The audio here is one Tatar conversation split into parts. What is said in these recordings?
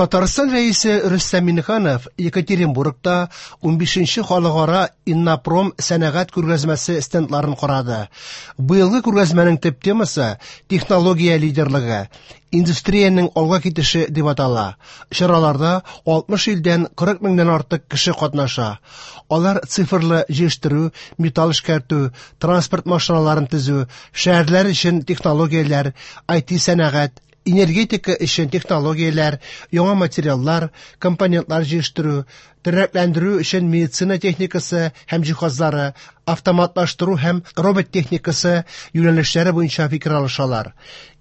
Татарстан Рәисе Рөстәм Миңнеханов Екатеринбургта 15нче халыкара Иннопром сәнәгать күргәзмәсе стендларын карады. Быелгы күргәзмәнең төп темасы технология лидерлыгы, индустриянең алга китеше дип атала. Чараларда 60 илдән 40 меңнән артык кеше катнаша. Алар цифрлы җыештыру, металл эшкәртү, транспорт машиналарын төзү, шәһәрләр өчен технологияләр, IT сәнәгать, энергетика өчен технологияләр, яңа материаллар, компонентлар җыештыру, тернәкләндерү өчен медицина техникасы һәм җиһазлары, автоматлаштыру һәм робот техникасы юнәлешләре буенча фикер алышалар.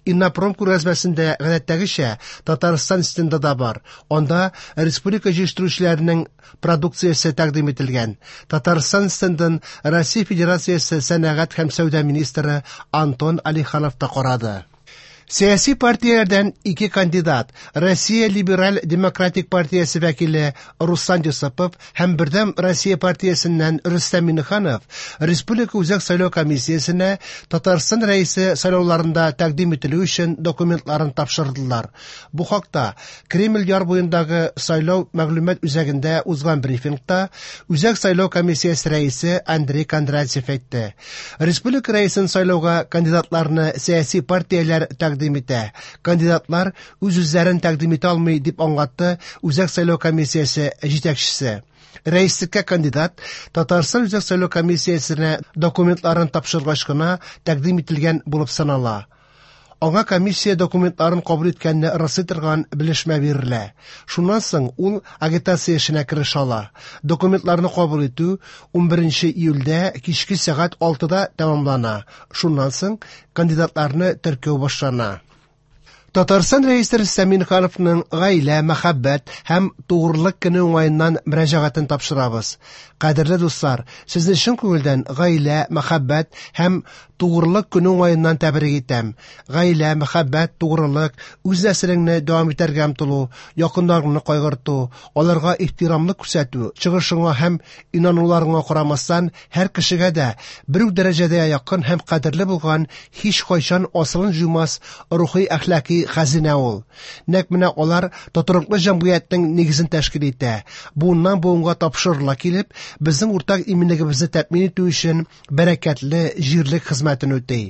Иннопром күргәзмәсендә гадәттәгечә Татарстан стенды да бар. Анда республика җыештыручыларының продукциясе тәкъдим ителгән. Татарстан стендын Россия Федерациясе сәнәгать һәм сәүдә министры Антон Алиханов та карады. Сәяси партияләрдән ике кандидат Россия Либераль Демократик партиясе вәкиле Руслан Юсупов һәм Бердәм Россия партиясеннән Рөстәм Миңнеханов Республика Үзәк сайлау комиссиясенә Татарстан Рәисе сайлауларында тәкъдим ителү өчен документларын тапшырдылар. Бу хакта Кремль яр буендагы сайлау мәгълүмат үзәгендә узган брифингта Үзәк сайлау комиссиясе рәисе Андрей Кондратьев әйтте. Республика рәисен сайлауга кандидатларны сәяси партияләр тәкъдим итә. Кандидатлар үз-үзләрен тәкъдим итә алмый, дип аңлатты Үзәк сайлау комиссиясе җитәкчесе. Рәислеккә кандидат Татарстан Үзәк сайлау комиссиясенә документларын тапшыргач кына тәкъдим ителгән булып санала. Аңа комиссия документларын кабул иткәнне раслый торган белешмә бирелә. Шуннан соң ул агитация эшенә керешә ала. Документларны кабул итү 11 июльдә кичке сәгать 6-да тәмамлана. Шуннан соң кандидатларны теркәү башлана. Татарстан Рәисе Рөстәм Миңнехановның гаилә, мәхәббәт һәм тугрылык көне уңаеннан мөрәҗәгатен тапшырабыз. Кадерле дуслар, сезне чын күңелдән гаилә, мәхәббәт һәм тугрылык көне уңаеннан тәбрик итәм. Гаилә, мәхәббәт, тугрылык, үз нәселеңне дәвам итәргә омтылу, якыннарыңны кайгырту, аларга ихтирамлык күрсәтү, чыгышыңа һәм инануларыңа карамастан, һәр кешегә дә бер үк дәрәҗәдә якын һәм кадерле булган һич кайчан асылын җуймас рухи әхлаки хәзинә ул. Нәкъ менә алар тотрыклы җәмгыятьнең нигезен тәшкил итә. Буыннан буынга тапшырыла килеп, безнең уртак иминлегебезне тәэмин итү өчен бәрәкәтле җирлек хезмәтен үти.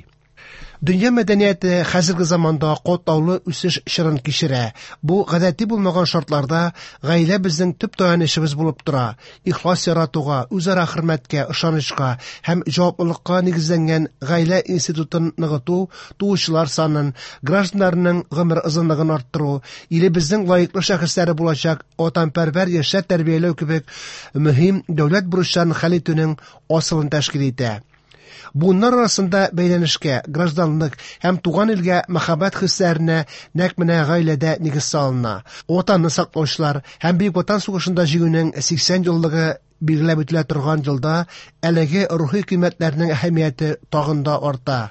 Дөнья мәдәнияте хәзерге заманда катлаулы үсеш чорын кичерә. Бу гадәти булмаган шартларда гаилә безнең төп таянычыбыз булып тора. Ихлас яратуга, үзара хөрмәткә, ышанычка һәм җаваплылыкка нигезләнгән гаилә институтын ныгыту, туучылар санын, гражданнарның гомер озынлыгын арттыру, илебезнең лаеклы шәхесләре булачак ватанпәрвәр яшьләр тәрбияләү кебек мөһим дәүләт бурычларын хәл итүнең асылын тәшкил итә. Буыннар арасында бәйләнешкә, гражданлык һәм туган илгә мәхәббәт хисләренә нәкъ менә гаиләдә нигез салына. Ватанны саклаучылар һәм Бөек Ватан сугышында җиңүнең 80 еллыгы билгеләп үтелә торган елда әлеге рухи кыйммәтләрнең әһәмияте тагын да арта.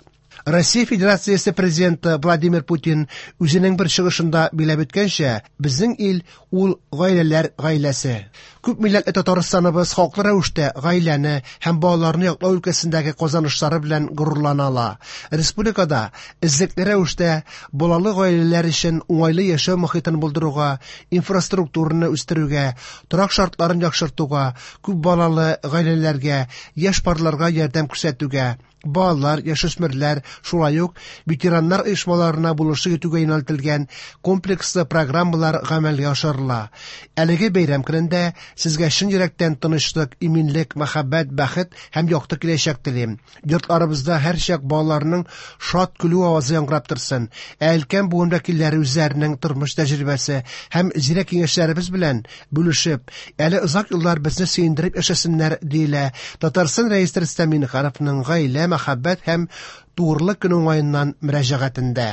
Россия Федерациясе президенты Владимир Путин үзенең бер чыгышында билгеләп үткәнчә, безнең ил ул гаиләләр гаиләсе. Күп милләтле Татарстаныбыз хаклы рәвештә гаиләне һәм балаларны яклау өлкәсендәге казанышлары белән горурлана ала. Республикада эзлекле рәвештә балалы гаиләләр өчен уңайлы яшәү мохитен булдыруга, инфраструктураны үстерүгә, торак шартларын яхшыртуга, күп балалы гаиләләргә, яшь парларга ярдәм күрсәтүгә, балалар, яшүсмерләр, шулай ук ветераннар оешмаларына булышлык итүгә юнәлтелгән комплекслы программалар гамәлгә ашырыла. Әлеге бәйрәм көнендә сезгә чын йөрәктән тынычлык, иминлек, мәхәббәт, бәхет һәм якты киләчәк телим. Йортларыбызда һәрчак балаларның шат көлү авазы яңгырап торсын. Ә өлкән буын вәкилләре үзләренең тормыш тәҗрибәсе һәм зирәк киңәшләребез белән бүлешеп, әле озак еллар безне сөендереп яшәсеннәр, диелә Татарстан Рәисе Рөстәм Миңнехановның гаилә, мәхәббәт һәм тугрылык көне уңаеннан мөрәҗәгатендә.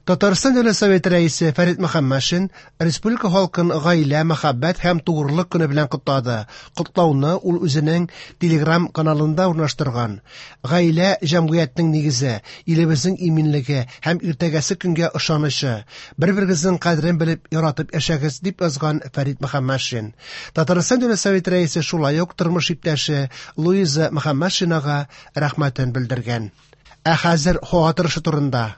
Татарстан Дәүләт Советы рәисе Фәрит Мөхәммәтшин республика халкын гаилә, мәхәббәт һәм тугрылык көне белән котлады. Котлауны ул үзенең Telegram каналында урнаштырган. Гаилә җәмгыятьнең нигезе, илебезнең иминлеге һәм иртәгәсе көнгә ышанычы. Бер-берегезнең кадерен белеп, яратып яшәгез, дип язган Фәрит Мөхәммәтшин. Татарстан Дәүләт Советы рәисе шулай ук тормыш иптәше Луиза Мөхәммәтшинага рәхмәтен белдергән. Ә хәзер һава торышы турында.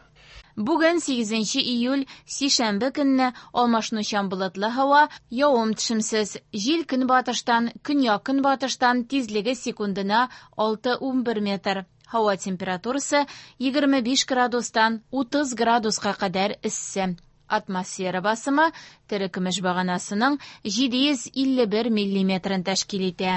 Бүген 8 июль, сишәмбе көнне алмашынучан болытлы һава, явым-төшемсез. Җил көнбатыштан, көньяк-көнбатыштан, тизлеге секундына 6-11 метр. Һава температурасы 25 градустан 30 градуска кадәр эссе. Атмосфера басымы терекөмеш баганасының 751 миллиметрын тәшкил итә.